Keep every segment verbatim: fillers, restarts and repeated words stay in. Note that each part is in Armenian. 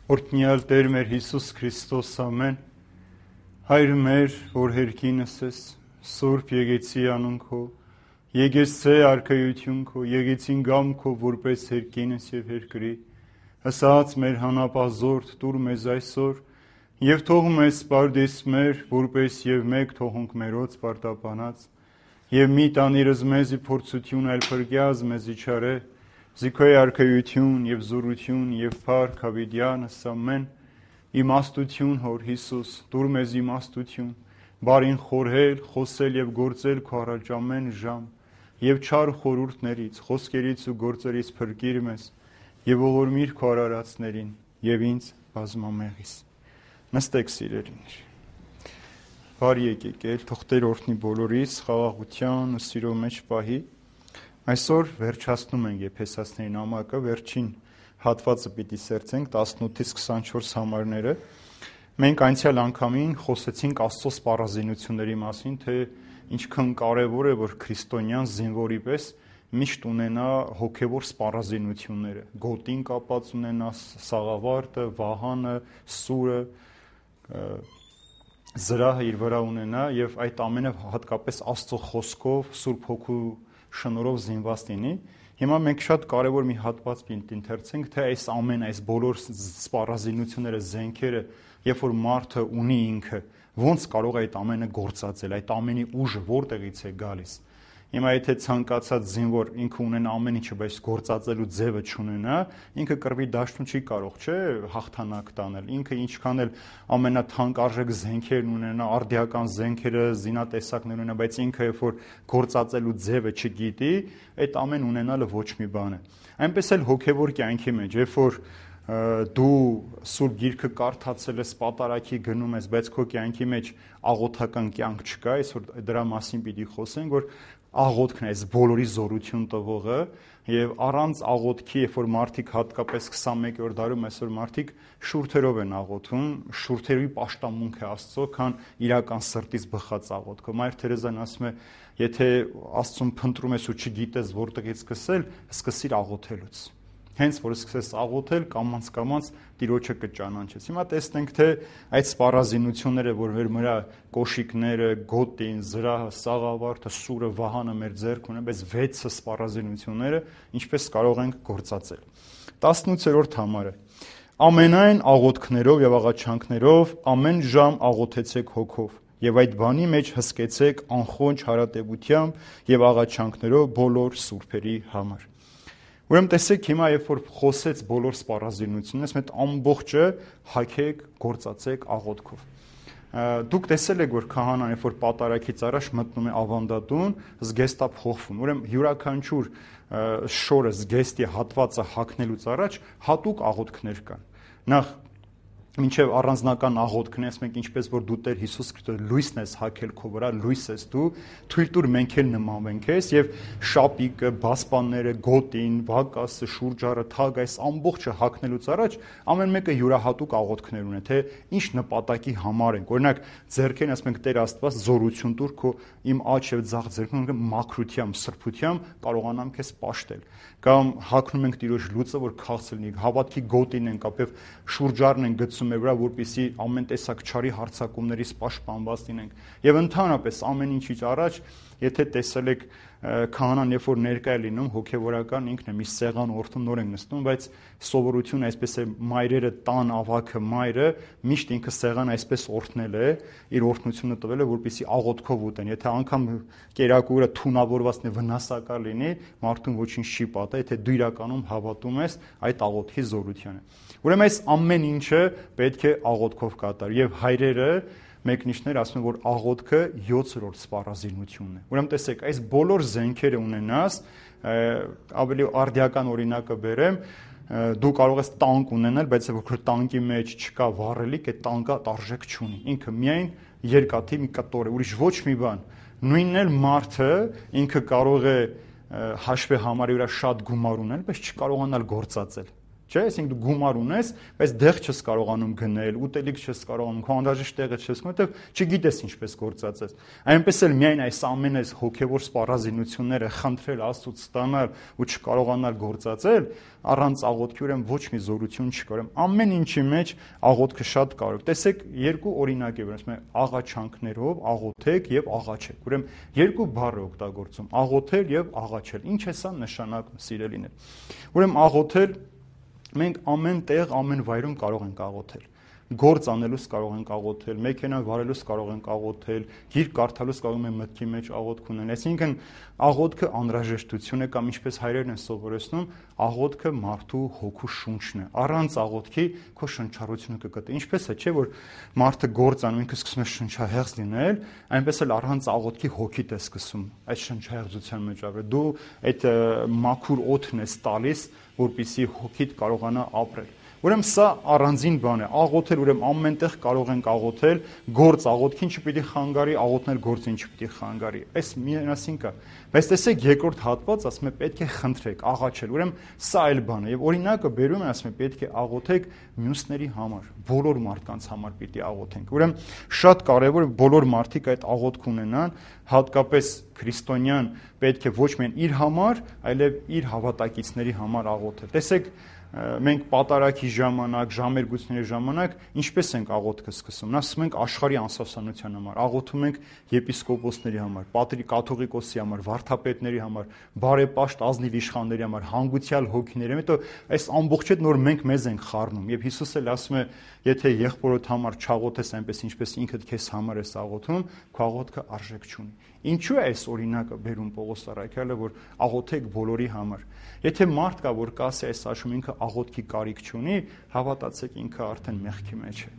Օրհնյալ Տեր մեր Հիսուս Քրիստոս, ամեն, Հայր մեր, որ հերքինս ես, Սուրբ եկեցի անուն քո, եկեցե արքայություն քո, եկեցին գամ քո, որպես հերքինս եւ հերկրի, հսած մեր հանապազորդ տուր մեզ այսօր, եւ թող մեզ պարդես մեր, որպես եւ մեկ թողունք մերոց պարտապանած, եւ մի տանիրս մեզի փորձություն այլ փրկյազ մեզի չարե, Զիքոյ արքայություն եւ զորություն եւ փառք հավիտյանս ամեն իմաստություն հոր Հիսուս դուր մեզ իմաստություն բարին խորհել խոսել եւ գործել քո առաջ ամեն ժամ եւ չար խորհուրդներից խոսքերից ու գործերից փրկիր մեզ եւ ողորմիր քո արարածներին եւ ինձ բազմամեղիս նստեք սիրելիներ բարի եկեք ել թող Տեր օրհնի բոլորիս խաղաղության ու սիրո մեջ պահի Այսօր վերջացնում ենք Եփեսացիների նամակը, վերջին հատվածը պիտի սերցենք տասնութից քսանչորս համարները։ Մենք անցյալ անգամին խոսեցինք Աստծո սպառազինությունների մասին, թե ինչքան կարևոր է, որ քրիստոնյան զինվորի պես միշտ ունենա հոգևոր սպառազինությունները, գոտին կապած ունենա սաղավարտը, վահանը, սուրը, զրահը իր վրա ունենա եւ այդ ամենը հատկապես Աստծո խոսքով, Սուրբ Հոգու շնորհով զինված լինի։ Հիմա մենք շատ կարևոր մի հատված պինտինթերցենք, թե այս ամեն այս բոլոր սպառազինությունները, զենքերը, երբ որ մարդը ունի ինքը, ոնց կարող է այդ ամենը գործածել, այդ ամենի ուժը որտեղից է գալիս։ Հիմա եթե ցանկացած զինվոր ինքը ունենա ամեն ինչը, բայց գործածելու ձևը չունենա, ինքը կռվի դաշտում չի կարող, չէ, հաղթանակ տանել։ Ինքը ինչքան էլ ամենաթանկարժեք զենքերն ունենա, արդիական զենքերը, զինատեսակներ ունենա, բայց ինքը երբ որ գործածելու ձևը չգիտի, այդ ամեն ունենալը ոչ մի բան է։ Այնպես էլ հոգևոր կյանքի մեջ, երբ որ դու Սուրբ Գիրքը կարդացել ես, պատարագի գնում ես, բայց քո կյանքի մեջ աղոթական կյանք չկա, այսօր դրա մասին պիտի խոսենք, որ աղոթքն է այս բոլորի զորություն տվողը եւ առանց աղոթքի, երբ որ մարդիկ հատկապես քսանմեկերորդ դարում այսօր մարդիկ շուրթերով են աղոթում, շուրթերի պաշտամունք է Աստծո, քան իրական սրտից բխած աղոթքը։ Մայր Թերեզան ասում է, եթե Աստծուն փնտրում ես ու չգիտես որտեղից սկսել, սկսիր աղոթելուց։ Հենց որ սկսես աղոթել, կամած կամած Տիրոջը կճանաչես։ Հիմա տեսնենք, թե այդ սպառազինությունները, որ մեր վրա կոշիկները, գոտին, զրահը, սաղավարտը, սուրը, վահանը մեր ձեռք ունեն, բայց վեցը սպառազինությունները ինչպես կարող ենք գործածել։ տասնութերորդ համարը։ Ամենայն աղոթքներով եւ աղաչանքներով ամեն ժամ աղոթեցեք հոգով եւ այդ բանի մեջ հսկեցեք անխոնջ հարատեվությամբ եւ աղաչանքներով բոլոր սուրբերի համար։ Ուրեմն տեսեք հիմա երբ որ խոսեց բոլոր սպառազինությունից, մեծ ամբողջը հագեք, գործածեք աղոթքով։ Դուք տեսել եք, որ քահանան երբ որ պատարագից առաջ մտնում է ավանդատուն, զգեստա փոխվում։ Ուրեմն յուրաքանչյուր շորը զգեստի հատվածը հագնելուց առաջ հատուկ աղոթքներ կան։ Նախ մինչև առանձնական աղոթքն ես մենք ինչպես որ դու Տեր Հիսուս Քրիստոս լույսն ես հագել քո վրա, լույս ես դու, թույլ տուր մենք էլ նմանվենք ես եւ շապիկը, բասպանները, գոտին, վակասը, շուրջարը, թագ այս ամբողջը հագնելուց առաջ ամեն մեկը յուրահատուկ աղոթքներ ունեն, թե ինչ նպատակի համար են։ Օրինակ ձեռքերն ասում ենք Տեր Աստված զորություն տուր քո իմ աջ եւ ձախ ձեռքին մաքրությամբ, սրբությամբ կարողանամ քեզ պաշտել։ Կամ հագնում ենք Տիրոջ լույսը, որ քաղցր լինի, հավատքի գոտին ենք, ապեւ շուրջարն են գցում մեր վրա, որպեսզի ամեն տեսակ չարի հարձակումներից պաշտպանված լինենք։ Եվ ընդհանրապես ամեն ինչից առաջ, եթե տեսել եք քահանան, երբ որ ներկա է լինում, հոգևորական ինքն է մի սեղան օրթում նոր ենք նստում, բայց սովորությունը այսպես է մայրերը տան ավագը մայրը միշտ ինքը սեղան այսպես օրթնել է, իր օրհնությունը տվել է, որպեսզի աղոթքով ուտեն։ Եթե անգամ կերակուրը թունավորված է, վնասակար լինի, մարդուն ոչինչ չի պատահ, եթե դու իրականում հավատում ես այդ աղոթքի զորությանը։ Ուրեմն այս ամեն ինչը պետք է աղոթքով կատարել եւ հայրերը մեկնիշներ ասում են, որ աղոթքը յոթերորդ սպառազինությունն է։ Ուրեմն տեսեք, այս բոլոր զենքերը ունենաս, ավելի արդիական օրինակը բերեմ, դու կարող ես տանկ ունենալ, բայց որ տանկի մեջ չկա վառելիք, այդ տանկը արժեք չունի։ Ինքը միայն երկաթի մի կտոր է, ուրիշ ոչ մի բան։ Նույնն էլ մարդը ինքը կարող է հաշվի համարի վրա շատ գումար ունել, բայց չկարողանալ գործածել։ Չէ, այսինքն դու գումար ունես, բայց դեղ չես կարողանում գնել, ուտելիք չես կարողանում, քո անհրաժեշտ տեղը չես գնում, որովհետև չգիտես ինչպես գործածես։ Այնպես էլ միայն այս ամեն այս հոգևոր սպառազինությունները խնդրել Աստծուց ստանալ ու չկարողանալ գործածել, առանց աղոթքի ուրեմն ոչ մի զորություն չկա։ Ուրեմն ամեն ինչի մեջ աղոթքը շատ կարևոր։ Տեսեք, երկու օրինակ է, որ ասում է աղաչանքներով աղոթեք եւ աղաչեք։ Ուրեմն երկու բառ է օգտագործում՝ աղոթել եւ աղաչել։ Ինչ է սա նշանակում, սիրելիներ։ Ուրեմն աղոթել մենք ամեն տեղ, ամեն վայրում կարող ենք աղոթել։ Գործ անելուց կարող ենք աղոթել, մեքենա վարելուց կարող ենք աղոթել, գիրք կարդալուց կարող ենք մտքի մեջ աղոթք ունենալ։ Այսինքն աղոթքը անհրաժեշտություն է կամ ինչպես հայերեն են սովորեցնում, աղոթքը մարդու հոգու շունչն է։ Առանց աղոթքի քո շնչառությունը կգտնի։ Ինչպես է, չէ՞ որ մարդը գործ անում, ինքը սկսում է շնչահեղձ լինել, այնպես էլ առանց աղոթքի հոգիդ է սկսում այդ շնչահեղձության մեջ ապրել։ Դու այդ մաքուր օդն ես տալիս, որպեսզի հոգիդ կարողանա ապրել։ Ուրեմն սա առանձին բան է։ Աղոթել ուրեմն ամենտեղ կարող ենք աղոթել, գործ աղոթքին չպիտի խանգարի, աղոթնել գործին չպիտի խանգարի։ Այս միասին կա։ Բայց տեսեք երկրորդ հատված ասում է պետք է խնդրեք, աղաչել։ Ուրեմն սա այլ բան է։ Եվ օրինակը բերում է ասում է պետք է աղոթեք մյուսների համար, բոլոր մարդկանց համար պիտի աղոթենք։ Ուրեմն շատ կարևոր է բոլոր մարդիկ այդ աղոթք ունենան, հատկապես քրիստոնյան պետք է ոչ միայն իր համար, այլև իր հավատակիցների համար աղոթել։ Տեսեք, մենք պատարագի ժամանակ, ժամերգությունների ժամանակ ինչպես ենք աղոթքը սկսում։ Ասում ենք աշխարհի անսասանության համար, աղոթում ենք եպիսկոպոսների համար, պատրի կաթողիկոսի համար, վարդապետների համար, բարեպաշտ ազնիվ իշխանների համար, հանգուցյալ հոգիների համար։ Հետո այս ամբողջը նոր մենք մեզ ենք խառնում։ Եվ Հիսուսը էլ ասում է, եթե եղբորոդ համար չաղոթես այնպես ինչպես ինքդ քեզ համար ես աղոթում, քո աղոթքը արժեք չունի։ Ինչու է այս օրինակը բերում Պողոս առաքյալը, որ աղոթեք բոլորի համար։ Եթե մարդ կա, որ կասի այս աշխարհում ինքը աղոթքի կարիք չունի, հավատացեք ինքը արդեն մեղքի մեջ է։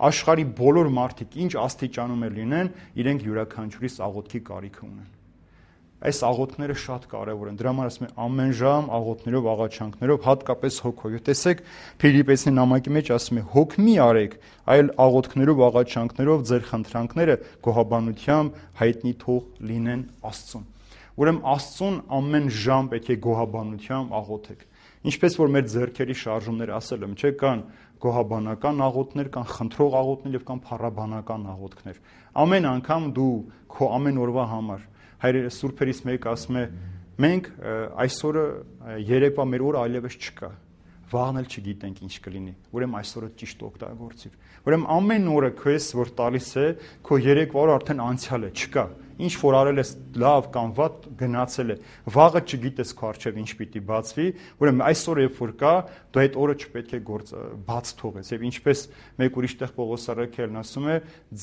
Աշխարհի բոլոր մարդիկ ինչ աստիճանում է լինեն, իրենք յուրաքանչյուրիս աղոթքի կարիք ունեն։ Այս աղոթքները շատ կարևոր են։ Դրա համար ասում եմ ամեն ժամ աղոթներով, աղաչանքներով, հատկապես հոգով։ Տեսեք, Փիլիպպեցի նամակի մեջ ասում է. հոգ մի արեք, այլ աղոթքներով, աղաչանքներով ձեր խնդրանքները գոհաբանությամբ հայտնի թող լինեն Աստծուն։ Ուրեմն Աստծուն ամեն ժամ պետք է գոհաբանությամբ աղոթեք։ Ինչպես որ մեր ձեռքերի շարժումները ասել եմ, չէ՞, կան գոհաբանական աղոթքներ, կան խնդրող աղոթքներ եւ կան փառաբանական աղոթքներ։ Ամեն անգամ դու քո ամեն օրվա համար հայրերը սուրբերից մեկը ասում է. մենք այսօրը երեկվա մեր օրը այլևս չկա, վաղն էլ չգիտենք ինչ կլինի, ուրեմն այսօրը ճիշտ օգտագործիր։ Ուրեմն ամեն օրը քեզ որ տալիս է, քո երեկվա օրը արդեն անցյալ է, չկա։ Ինչ որ արել ես լավ կամ վատ գնացել է, վաղը չգիտես քո առջև ինչ պիտի բացվի, ուրեմն այսօր երբ որ կա, դու այդ օրը չպետք է գործ բաց թողես։ Եվ ինչպես մեկ ուրիշ տեղ Պողոս առաքյալն ասում է,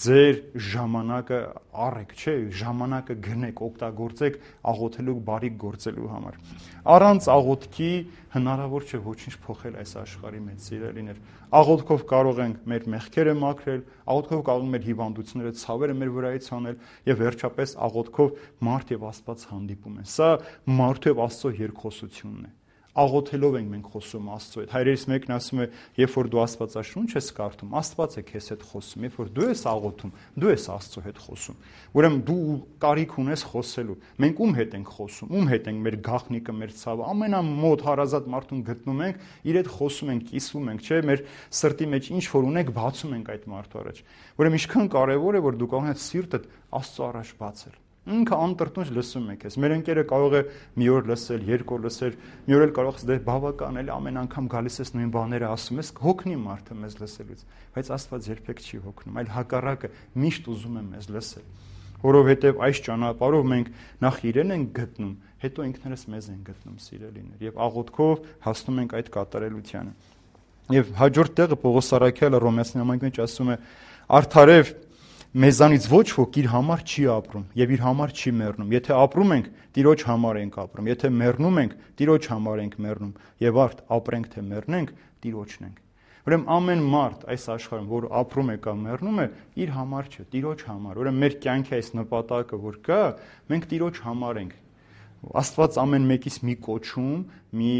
ձեր ժամանակը առեք, չէ, ժամանակը գնեք, օգտագործեք աղոթելու բարիք գործելու համար։ Առանց աղոթքի հնարավոր չէ ոչինչ փոխել այս աշխարհի մեջ, սիրելիներ։ Աղոթքով կարող ենք մեր մեղքերը մաքրել, աղոթքով կարող ենք մեր հիվանդությունները, ցավերը մեր վրայից հանել եւ վերջապես աղոթքով մարդ եւ Աստված հանդիպում են։ Սա մարդու եւ Աստծո երկխոսությունն է։ Աղոթելով ենք մենք խոսում Աստծո հետ։ Հայրերից մեկն ասում է, երբ որ դու Աստվածաշունչ ես կարդում, Աստված է քեզ հետ խոսում։ Երբ որ դու ես աղոթում, դու ես Աստծո հետ խոսում։ Ուրեմն դու կարիք ունես խոսելու։ Մենք ում հետ ենք խոսում, ում հետ ենք մեր գաղտնիքը, մեր ցավը, ամենամոտ հարազատ մարդուն գտնում ենք, իր հետ խոսում ենք, կիսվում ենք, չէ՞, մեր սրտի մեջ ինչ որ ունենք, բացում ենք այդ մարդու առաջ։ Ուրեմն ինչքան կարևոր է, որ դու կարող ես սիրտդ Աստծո առաջ բացել։ Ինքը անտրտունջ լսում եք ես։ Մեր ընկերը կարող է մի օր լսել, երկու օր լսել, մի օր էլ կարող է դե բավական էլ ամեն անգամ գալիս ես նույն բաները ասում ես, հոգնի մարդը մեզ լսելուց, բայց Աստված երբեք չի հոգնում, այլ հակառակը միշտ ուզում է մեզ լսել։ Որովհետև այս ճանապարհով մենք նախ իրեն ենք գտնում, հետո ինքներս մեզ ենք գտնում, սիրելիներ, եւ աղոթքով հասնում ենք այդ կատարելությանը։ Եվ հաջորդ տեղը Պողոս առաքյալը Հռոմեացի նամակի մեջ ասում է. արդարև մեզանից ոչ ոք իր համար չի ապրում եւ իր համար չի մեռնում։ Եթե ապրում ենք, Տիրոջ համար ենք ապրում, եթե մեռնում ենք, Տիրոջ համար ենք մեռնում, եւ արդ ապրենք թե մեռնենք, Տիրոջն ենք։ Ուրեմն ամեն մարդ այս աշխարհում, որ ապրում է կամ մեռնում է, իր համար չէ, Տիրոջ համար։ Ուրեմն մեր կյանքի այս նպատակը, որ կա, մենք Տիրոջ համար ենք։ Աստված ամեն մեկից մի կոչում, մի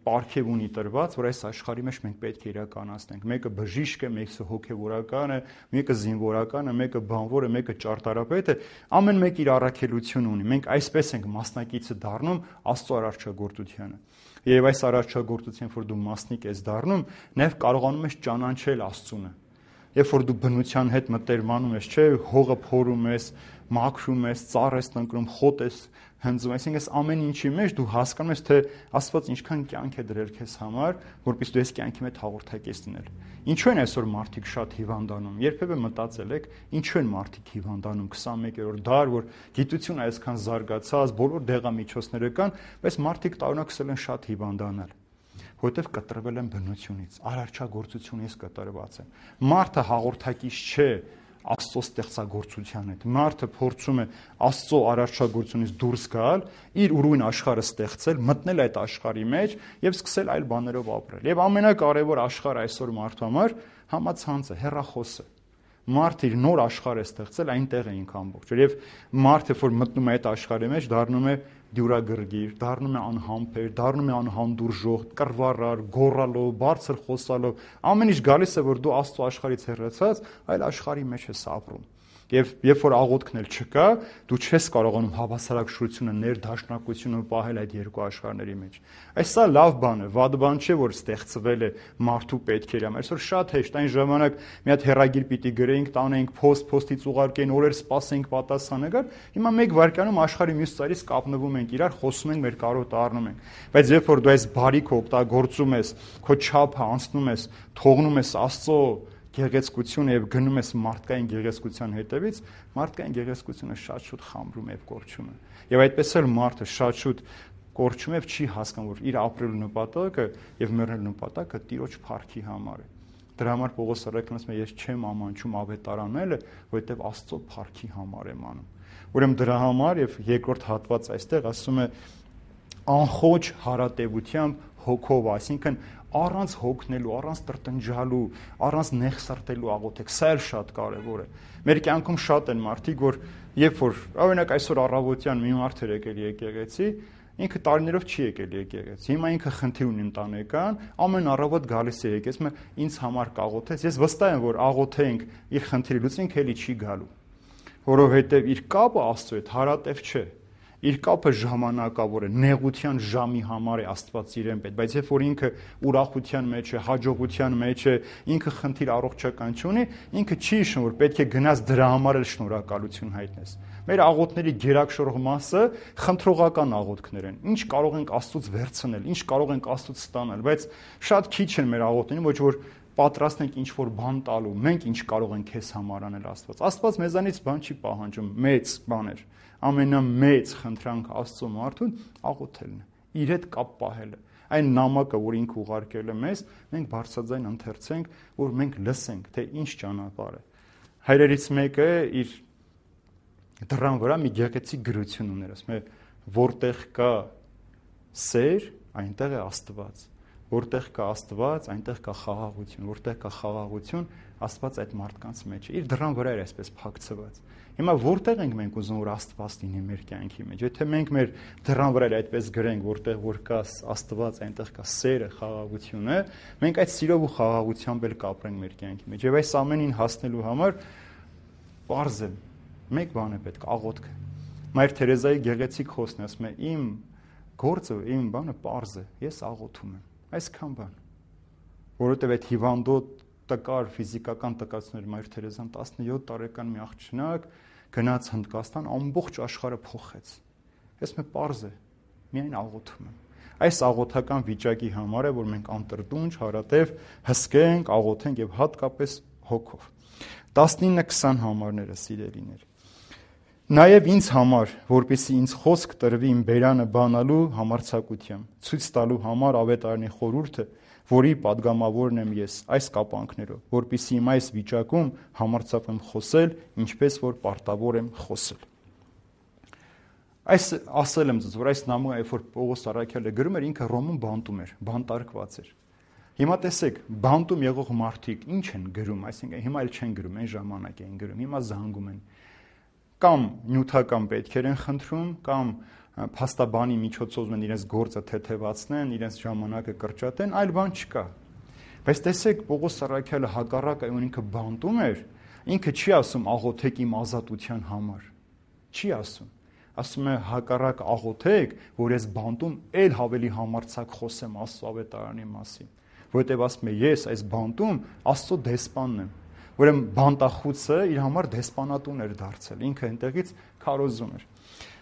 պարգև ունի տրված, որ այս աշխարհի մեջ մենք պետք է իրականացնենք։ Մեկը բժիշկ է, մեկը հոգևորական է, մեկը զինվորական է, մեկը բանվոր է, մեկը ճարտարապետ է, ամեն մեկ իր առաքելություն ունի։ Մենք այսպես ենք մասնակիցը դառնում Աստծո արարչագործությանը։ Եվ այս արարչագործության, որ դու մասնիկ ես դառնում, նաև կարողանում ես ճանաչել Աստծունը։ Երբ որ դու բնության հետ մտերմանում ես, չէ, հողը փորում ես, մաքրում ես, ծառ ես տնկնում, խոտ ես հնձում, այսինքն այս ամեն ինչի մեջ դու հասկանում ես, թե Աստված ինչքան կյանք է դրել քեզ համար, որպեսզի դու այս կյանքի մեջ հաղորդակից լինել։ Ինչու են այսօր մարդիկ շատ հիվանդանում։ Երբևէ մտածել եք, ինչու են մարդիկ հիվանդանում քսանմեկերորդ դար, որ գիտությունը այսքան զարգացած, բոլոր դեղամիջոցները կան, բայց մարդիկ տարօրինակ են շատ հիվանդանալ, որովհետև կտրվել են բնությունից, արարչագործությունից կտրված են։ Մարդը հաղորդակից չէ Աստծո ստեղծագործության հետ։ Մարդը փորձում է Աստծո արարչագործությունից դուրս գալ, իր ուրույն աշխարհը ստեղծել, մտնել այդ աշխարհի մեջ եւ սկսել այլ բաներով ապրել։ Եվ ամենակարևոր աշխարհը այսօր մարդու համար համացանցը, հեռախոսը։ Մարդը իր նոր աշխարհ է ստեղծել, այնտեղ է ինքը ամբողջ։ Եվ մարդը, որ մտնում է այդ աշխարհի մեջ, դառնում է դյուրագրգիռ, դառնում է անհամբեր, դառնում է անհանդուրժող, կռվարար, գոռալով, բարձր խոսալով, ամեն ինչ գալիս է, որ դու Աստծո աշխարհից հեռացած, այլ աշխարհի մեջ ես ապրում։ Եվ երբ որ աղոթքն էլ չկա, դու չես կարողանում հավասարակշռությունը, ներդաշնակությունը պահել այդ երկու աշխարհների մեջ։ Այս սա լավ բան է, վատ բան չէ, որ ստեղծվել է մարդու պետքերի համար։ Այսօր շատ հեշտ, այն ժամանակ մի հատ հեռագիր պիտի գրեինք, տանեինք post, post-ից ուղարկեին, օրեր սպասեինք պատասխանը գար։ Հիմա մեկ վայրկյանում աշխարհի մյուս ծայրից կապնվում ենք իրար, խոսում ենք, մեր կարոտ առնում ենք։ Բայց երբ որ դու այս բարիքը օգտագործում ես, քո չափը անցնում ես, թողնում ես Աստծո գեղեցկությունը եւ գնում ես մարդկային գեղեցկության հետևից, մարդկային գեղեցկությունը շատ շուտ խամրում եւ կորչում է։ Եվ այդպես էլ մարդը շատ շուտ կորչում եւ չի հասկանում, որ իր ապրելու նպատակը եւ մեռնելու նպատակը Տիրոջ փառքի համար է։ Դրա համար Պողոս առաքյալն ասում է, ես չեմ ամանչում ավետարանելը, որովհետեւ Աստծո փառքի համար եմ անում։ Ուրեմն դրա համար եւ երկրորդ հատված այստեղ ասում է անխոչ հարատևությամբ հոգով, այսինքն առանց հոգնելու, առանց տրտնջալու, առանց նեղսարտելու աղոթեք, սա էլ շատ կարևոր է։ Մեր կյանքում շատ են մարդիկ, որ երբ որ օրինակ այսօր առավոտյան մի մարդ էր եկել եկեղեցի, ինքը տարիներով չի եկել եկեղեցի։ Հիմա ինքը խնդիր ունի ընտանեկան, ամեն առավոտ գալիս է եկեղեցի, ինձ համար կաղոթես։ Ես վստահ եմ, որ աղոթենք իր խնդիրը լուծենք, էլի չի գալու, որովհետև իր կապը Աստծո հետ հարատև չէ։ Իր կապը ժամանակավոր է, նեղության ժամի համար է Աստված իրեն պետք, բայց երբ որ ինքը ուրախության մեջ է, հաջողության մեջ է, ինքը խնդիր առողջական չունի, ինքը չի հիշում, որ պետք է գնաս դրա համար էլ շնորհակալություն հայտնես։ Մեր աղոթների գերակշռող մասը խնդրողական աղոթքներ են։ Ինչ կարող ենք Աստծուց վերցնել, ինչ կարող ենք Աստծուց ստանալ, բայց շատ քիչ են մեր աղոթներում, ոչ որ պատրաստ ենք ինչ-որ բան տալու, մենք ինչ կարող ենք քեզ համար անել Աստված։ Աստված մեզանից բան չի պահանջում, մեծ բաներ։ Ամենամեծ խնդրանք Աստծո մարդուն աղոթելն է, իր հետ կապ պահելը։ Այն նամակը, որ ինքը ուղարկել է մեզ, մենք բարձրաձայն ընթերցենք, որ մենք լսենք, թե ինչ ճանապարհ է։ Հայրերից մեկը իր դռան վրա մի գեղեցիկ գրություն ուներ, ասում է, որտեղ կա սեր, այնտեղ է Աստված։ Որտեղ կա Աստված, այնտեղ կա խաղաղություն, որտեղ կա խաղաղություն, Աստված այդ մարդկանց մեջ է։ Իր դռան վրա էր այսպես փակցված։ Հիմա որտեղ ենք մենք ուզում որ Աստված լինի մեր կյանքի մեջ։ Եթե մենք մեր դռան վրա այդպես գրենք, որտեղ որ կա Աստված, այնտեղ կա սերը, խաղաղությունը, մենք այդ սիրով ու խաղաղությամբ էլ կապրենք մեր կյանքի մեջ։ Եվ այս ամենին հասնելու համար պարզ է, մեկ բան է պետք, աղոթքը։ Մայր Թերեզայի գեղեցիկ խոսքն ասում է, իմ գործը, իմ բանը պարզ է, ես աղոթում եմ։ Այսքան բան, որովհետև այդ հիվանդոտ տկար ֆիզիկական տկարություններ Մայր Թերեզան տասնյոթ տարեկան մի աղջնակ գնաց Հնդկաստան, ամբողջ աշխարհը փոխեց։ Ես մե պարզ է, միայն աղոթում եմ։ Այս աղոթական վիճակի համար է, որ մենք անտրտունջ, հարատև հսկենք, աղոթենք եւ հատկապես հոգով։ տասնինը քսան համարները սիրելիներ։ Նաև ինձ համար, որպեսզի ինձ խոսք տրվի իմ բերանը բանալու համարձակությամբ, ցույց տալու համար ավետարանի խորհուրդը, որի падգամավորն եմ ես այս կապանքներով, որպեսզի իմ այս վիճակում համարձակվեմ խոսել, ինչպես որ պարտավոր եմ խոսել։ Այս ասել եմ ձեզ, որ այս նամակը, երբ որ Պողոս առաքյալը գրում էր, ինքը Ռոմում բանտում էր, բանտարկված էր։ Հիմա տեսեք, բանտում եղող մարդիկ ինչ են գրում, այսինքն հիմա էլ չեն գրում, այն ժամանակ էին գրում, հիմա զանգում են։ կամ նյութական պետքեր են խնդրում, կամ փաստաբանի միջոցով են իրենց գործը թեթևացնեն, իրենց ժամանակը կրճատեն, այլ բան չկա։ Բայց տեսեք, Պողոս Առաքյալը հակառակ այն ինքը բանտում էր, ինքը չի ասում աղոթեք իմ ազատության համար։ Չի ասում։ Ասում է հակառակ աղոթեք, որ ես բանտում էլ ավելի համարձակ խոսեմ Աստծո ավետարանի մասին, որովհետև ասում է ես այս բանտում Աստծո դեսպանն եմ։ Ուրեմն բանտախուցը իր համար դեսպանատուն էր դարձել, ինքը այնտեղից քարոզում էր։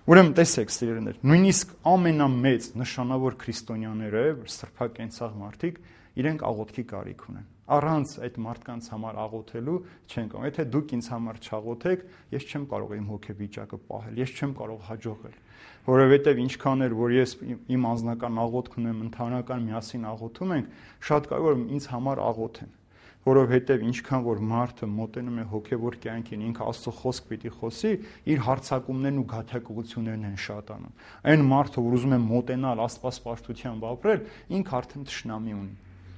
Ուրեմն տեսեք, սիրելիներ, նույնիսկ ամենամեծ նշանավոր քրիստոնյաները, սրբակենցաղ մարդիկ, իրենք աղոթքի կարիք ունեն։ Առանց այդ մարդկանց համար աղոթելու չեն կարող։ Եթե դուք ինձ համար չաղոթեք, ես չեմ կարող իմ հոգեվիճակը պահել, ես չեմ կարող հաջողել։ Որովհետև ինչքան էր, որ ես իմ անձնական աղոթք ունեմ, ընդհանրական միասին աղոթում ենք, շատ կարող է ինձ համար աղոթեն։ Որովհետև ինչքան որ մարդը մոտենում է հոգևոր կյանքին, ինքը Աստծո խոսք պիտի խոսի, իր հարձակումներն ու գաթակղություններն են շատանում։ Այն մարդը, որ ուզում է մոտենալ աստվածպաշտությամբ ապրել, ինքը արդեն թշնամի ունի։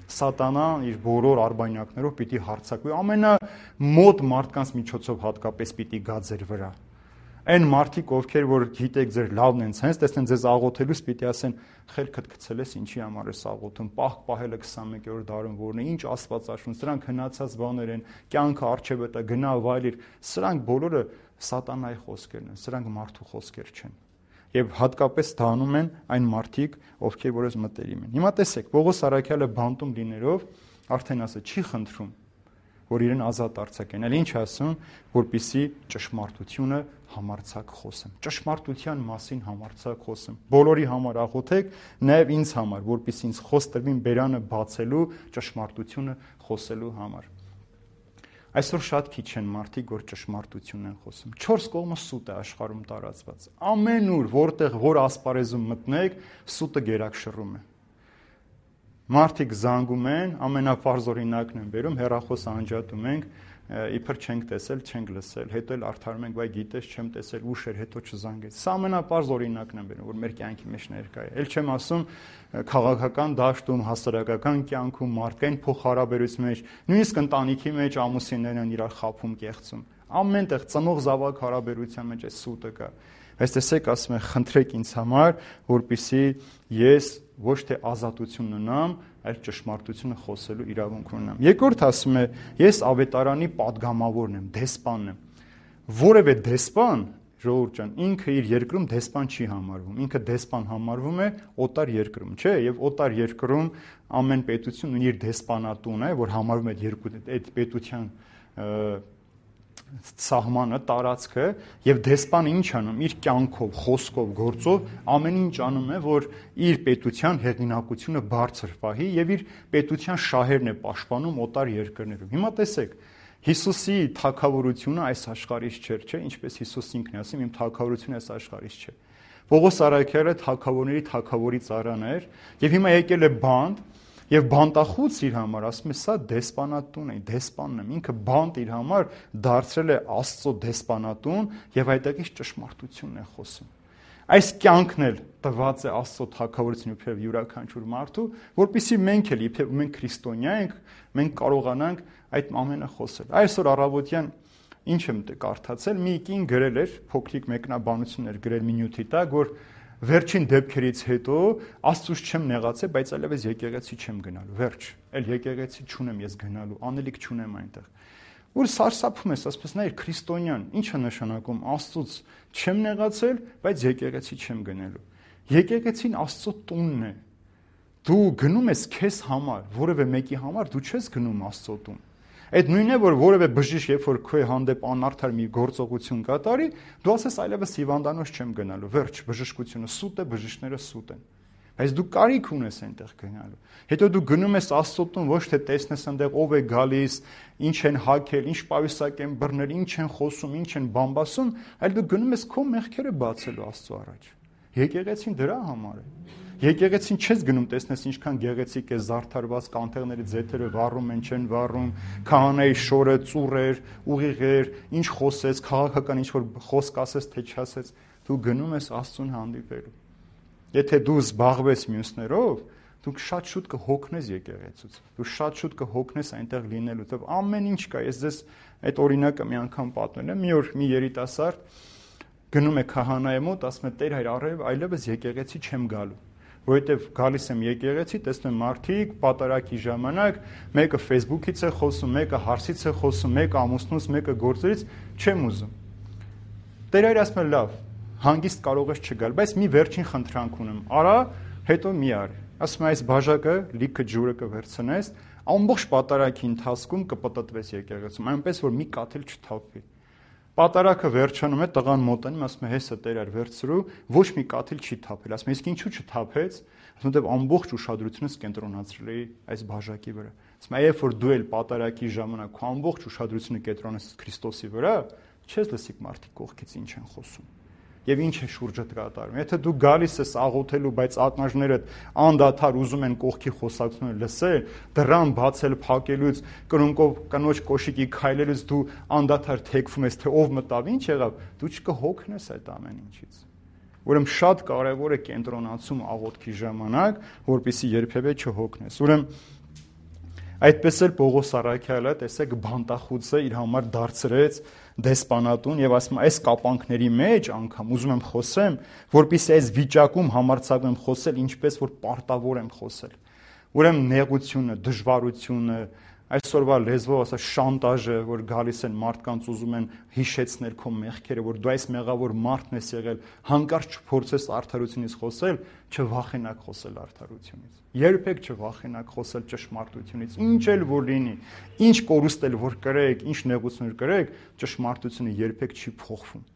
Սատանան իր բոլոր արբանյակներով պիտի հարձակվի, ամենամոտ մարդկանց միջոցով հատկապես պիտի գա ձեր վրա։ Այն մարդիկ, ովքեր որ գիտեք ձեր լավն են ցենց, տեսնեն ձեզ աղոթելուց պիտի ասեն, խելքդ գցել ես, ինչի համար ես աղոթում, պահք պահելը քսանմեկերորդ դարում որն է, ինչ աստվածաշունչ, սրանք հնացած բաներ են, կյանքը առջևը տա, գնա վայելիր, սրանք բոլորը սատանայի խոսքերն են, սրանք մարդու խոսքեր չեն։ Եվ հատկապես դանում են այն մարդիկ, ովքեր որս մտերիմ են։ Հիմա տեսեք, Պողոս Առաքյալը բանտում լինելով արդեն ասը չի խնդրում, որ իրեն ազատ արձակեն, այլ ինչ ասում, որպեսզի ճշմարտությունը համարձակ խոսեմ։ Ճշմարտության մասին համարձակ խոսեմ։ Բոլորի համար աղոթեք, նաև ինձ համար, որպեսզի ինձ խոս տրվին բերանը բացելու, ճշմարտությունը խոսելու համար։ Այսօր շատ քիչ են մարդիկ, որ ճշմարտություն են խոսում։ Չորս կողմը սուտ է աշխարհում տարածված։ Ամենուր, որտեղ որ ասպարեզում մտնեք, սուտը գերակշռում է։ Մարդիկ զանգում են, ամենապարզ օրինակն են բերում, հեռախոս անջատում ենք, իբր չենք տեսել, չենք լսել, հետո էլ արդարում ենք, վայ գիտես, չեմ տեսել, ուշ էր, հետո չզանգեց։ Սա ամենապարզ օրինակն են բերում, որ մեր կյանքի մեջ ներկա է։ Էլ չեմ ասում քաղաքական դաշտում, հասարակական կյանքում, մարդկային փոխհարաբերության մեջ, նույնիսկ ընտանիքի մեջ ամուսիններն են իրար խաբում, կեղծում։ Ամենտեղ ծնող զավակ հարաբերության մեջ է սուտը կա։ Այս տեսեք, ասում է, խնդրեք ինձ համար, որպեսզի ես ոչ թե ազատություն ունենամ, այլ ճշմարտությունը խոսելու իրավունք ունենամ։ Երկրորդ ասում է, ես ավետարանի падգամավորն եմ, դեսպանն եմ։ Որևէ դեսպան, ժողովուրդ ջան, ինքը իր երկրում դեսպան չի համարվում։ Ինքը դեսպան համարվում է օտար երկրում, չէ՞, եւ օտար երկրում ամեն պետություն ունի իր դեսպանատուն է, որ համարվում է երկու այդ պետության սահմանը, տարածքը, եւ դեսպանը ինչ անում, իր կյանքով, խոսքով, գործով ամեն ինչ անում է, որ իր պետության հեղինակությունը բարձր պահի եւ իր պետության շահերն է պաշտպանում օտար երկրներում։ Հիմա տեսեք, Հիսուսի թագավորությունը այս աշխարհից չէր, չէ՞, ինչպես Հիսուս ինքն է ասում, իմ թագավորությունը այս աշխարհից չէ։ Պողոս Առաքյալը թագավորների թագավորի ծառան էր, եւ հիմա եկել է բանտ, եւ բանտախուց իր համար ասում է, սա դեսպանատուն է, դեսպանն եմ, ինքը բանտ իր համար դարձրել է Աստծո դեսպանատուն եւ այդտեղից ճշմարտությունն է խոսում։ Այս կյանքն էլ տված է Աստծո թագավորությունը իբրև յուրաքանչյուր մարդու, որpիսի մենք էլ իբրև մենք քրիստոնյա ենք, մենք կարողանանք այդ ամենը խոսել։ Այսօր առավոտյան ինչ եմ կարդացել, մի կին գրել էր, փոքրիկ մեկնաբանություն էր գրել մի նյութի տակ, որ վերջին դեպքերից հետո Աստծուց չեմ նեղացել, բայց այլևս եկեղեցի չեմ գնալու, վերջ, այլ եկեղեցի չունեմ ես գնալու, անելիք չունեմ այնտեղ։ Որ սարսափում ես, ասես նայր քրիստոնյան, ի՞նչ է նշանակում Աստծուց չեմ նեղացել, բայց եկեղեցի չեմ գնալու։ Եկեղեցին Աստծո տունն է։ Դու գնում ես քեզ համար, որևէ մեկի համար դու չես գնում Աստծո տուն։ Այդ նույնն է, որ որևէ բժիշկ, երբ որ քո հանդեպ անարդար մի գործողություն կատարի, դու ասես այլևս հիվանդանոց չեմ գնալու, վերջ, բժշկությունը սուտ է, բժիշկները սուտ են։ Բայց դու կարիք ունես այնտեղ գնալու։ Հետո դու գնում ես Աստծո տուն, ոչ թե տեսնես այնտեղ ով է գալիս, ինչ են հագել, ինչ պայուսակ են բռնել, ինչ են խոսում, ինչ են բամբասում, այլ դու գնում ես քո մեղքերը բացելու Աստծո առաջ։ Եկեղեցին դրա համար է։ Եկեղեցին չես գնում, տեսնես ինչքան գեղեցիկ է զարդարված, կանթեղների ձեթերը վառում են, չեն վառում, քահանայի շորը ծուռեր, ուղիղեր, ինչ խոսեց, քաղաքական ինչ որ խոսք ասեց, թե չասեց, դու գնում ես Աստծուն հանդիպելու։ Եթե դու զբաղվես մյուսներով, դու շատ շուտ կհոգնես եկեղեցուց, դու շատ շուտ կհոգնես այնտեղ լինելուց, եւ ամեն ինչ կա։ Ես ձեզ այդ օրինակը մի անգամ պատմել եմ։ Մի օր մի երիտասարդ գնում է քահանայի մոտ, ասում է՝ Տեր հայր, առայժմ այլևս եկեղեցի չեմ գալու, որովհետեւ գալիս եմ եկեղեցի, տեսնում եմ մարդիկ պատարակի ժամանակ մեկը Facebook-ից է խոսում, մեկը հարսից է խոսում, մեկը ամուսնուց, մեկը գործերից, չեմ ուզում։ Տեր հայր ասում է՝ լավ, հանգիստ կարող ես չգալ, բայց մի վերջին խնդրանք ունեմ, արա, հետո մի արի։ Ասում է՝ այս բաժակը լիքը ջուրը կվերցնես, ամբողջ պատարակի ընթացքում կպտտվես եկեղեցում, այնպես որ մի կաթ էլ չթափվի։ Պատարակը վերջանում է, տղան մոտենում, ասում է՝ հեսա Տեր այր վերցրու, ոչ մի կաթ էլ չի թափել։ Ասում է՝ իսկ ինչու չթափեց։ Ասում է՝ ամբողջ ուշադրությունս կենտրոնացրել էի այս բաժակի վրա։ Ասում է՝ երբ որ դու էլ պատարակի ժամանակ քո ամբողջ ուշադրությունը կենտրոնացրես Քրիստոսի վրա, չես լսի մարդիկ կողքից ինչ են խոսում։ Եվ ինչ է շուրջդ կատարում։ Եթե դու գալիս ես աղոթելու, բայց ակնաժներդ անդադար ուզում են կողքի խոսակցությունը լսել, դռան բացել, փակելուց, կրունկով կնոջ կոշիկի քայլելուց դու անդադար թեքվում ես, թե ով մտավ, ինչ եղավ, դու չկհոգնես այդ ամեն ինչից։ Ուրեմն շատ կարևոր է կենտրոնացում աղոթքի ժամանակ, որպեսզի երբևէ չհոգնես։ Ուրեմն այդպես էլ Պողոս առաքյալը, տեսեք, բանտախուցը իր համար դարձրեց դեսպանատուն եւ ասում է՝ այս կապանքների մեջ անգամ ուզում եմ խոսեմ, որpիսի այս վիճակում համարձակվեմ խոսել, ինչպես որ պարտավոր եմ խոսել։ Ուրեմն նեղությունը, դժվարությունը, այսօրվա լեզվով ասած շանտաժը, որ գալիս են մարդկանց ուզում են հիշեցնել քո մեղքերը, որ դու այս մեղավոր մարդն ես եղել, հանկարծ չփորձես արդարությունից խոսել, չվախենակ խոսել արդարությունից։ Երբեք չվախենակ խոսել ճշմարտությունից։ Ինչ էլ որ լինի, ինչ կորուստ էլ որ կրեք, ինչ նեղություն կրեք, ճշմարտությունը երբեք չի փոխվում։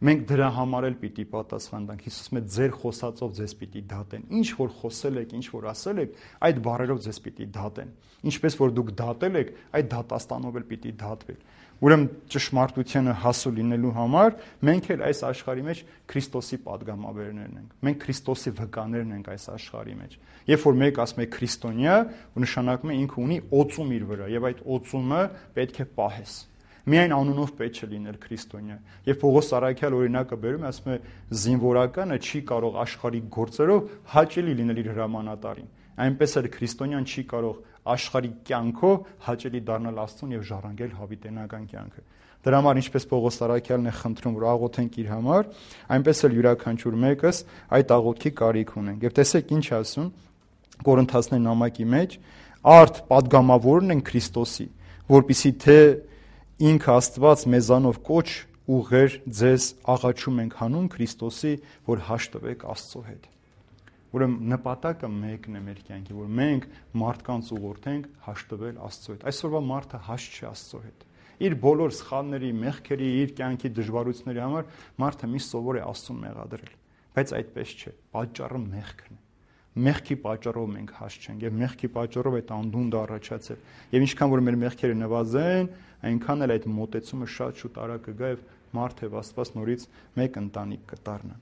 Մենք դրա համար էլ պիտի պատասխան տանք։ Հիսուսը ձեր խոսածով ձեզ պիտի դատեն։ Ինչ որ խոսել եք, ինչ որ ասել եք, այդ բառերով ձեզ պիտի դատեն։ Ինչպես որ դուք դատել եք, այդ դատաստանով էլ պիտի դատվեք։ Ուրեմն ճշմարտությանը հասու լինելու համար մենք էլ այս աշխարհի մեջ Քրիստոսի պատգամավորներն ենք։ Մենք Քրիստոսի վկաներն ենք այս աշխարհի մեջ։ Երբ որ մեկ ասում է քրիստոնյա, նշանակում է ինքը ունի օծում իր վրա, եւ այդ օծումը պետք է պահես։ Միայն անունով պետք է լինել քրիստոնյա։ Եվ Պողոս առաքյալ օրինակը բերում է, ասում է՝ զինվորականը չի կարող աշխարհի գործերով հաճելի լինել իր հրամանատարին։ Այնպես էլ քրիստոնյան չի կարող աշխարհի կյանքով հաճելի դառնալ Աստծուն եւ ժառանգել հավիտենական կյանքը։ Դրա համար ինչպես Պողոս առաքյալն է խնդրում, որ աղոթենք իր համար, այնպես էլ յուրաքանչյուր մեկս այդ աղոթքի կարիք ունենք։ Եվ տեսեք ինչ ասում Կորինթացիների նամակի մեջ, արդ պատգամավորն են Քրիստոսի, որպիսի թե ինքը Աստված մեզանով կոչ ուղեր ձեզ աղաչում ենք հանուն Քրիստոսի, որ հաշտվեք Աստծո հետ։ Ուրեմն նպատակը մեկն է մեր կյանքի, որ մենք մարդկանց ուղղորդենք հաշտվել Աստծո հետ։ Այսօրվա մարդը հաշտ չի Աստծո հետ։ Իր բոլոր սխալների, մեղքերի, իր կյանքի դժվարությունների համար մարդը մի սովոր է Աստծուն մեղադրել, բայց այդպես չէ։ Պատճառը մեղքն է։ Մեղքի պատճառով մենք հաշտ չենք եւ մեղքի պատճառով այդ անդունդը առաջացել։ Եվ ինչքան որ մեր մեղքերը նվազեն, այնքան էլ այդ մոտեցումը շատ շուտ արագ կգա եւ մարդը եւ Աստված նորից մեկ ընտանիք կդառնան։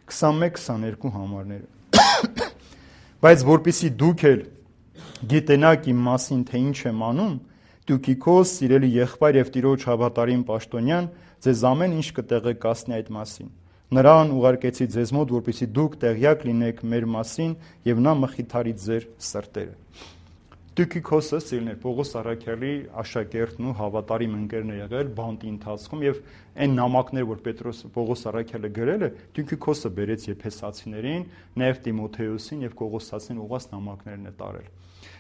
քսանմեկ քսաներկու համարները։ Բայց որpիսի դուք էլ գիտենաք իմ մասին, թե ինչ եմ անում, Տյուկիկոս, սիրելի եղբայր եւ Տիրոջ հավատարիմ պաշտոնյան, ձեզ ամեն ինչ կտեղեկացնի այդ մասին։ Նրան ուղարկեցի ձեզ մոտ, որպեսզի դուք տեղյակ լինեք մեր մասին եւ նա մխիթարի ձեր սրտերը։ Տյուկիկոսը սիրելիներ Պողոս առաքյալի աշակերտն ու հավատարիմ ընկերն է եղել բանտի ընթացքում եւ այն նամակներ, որ Պետրոս Պողոս առաքյալը գրել է, Տյուկիկոսը բերեց Եփեսացիներին, նաեւ Տիմոթեոսին եւ Կողոսացին ուղղված նամակներն է տարել։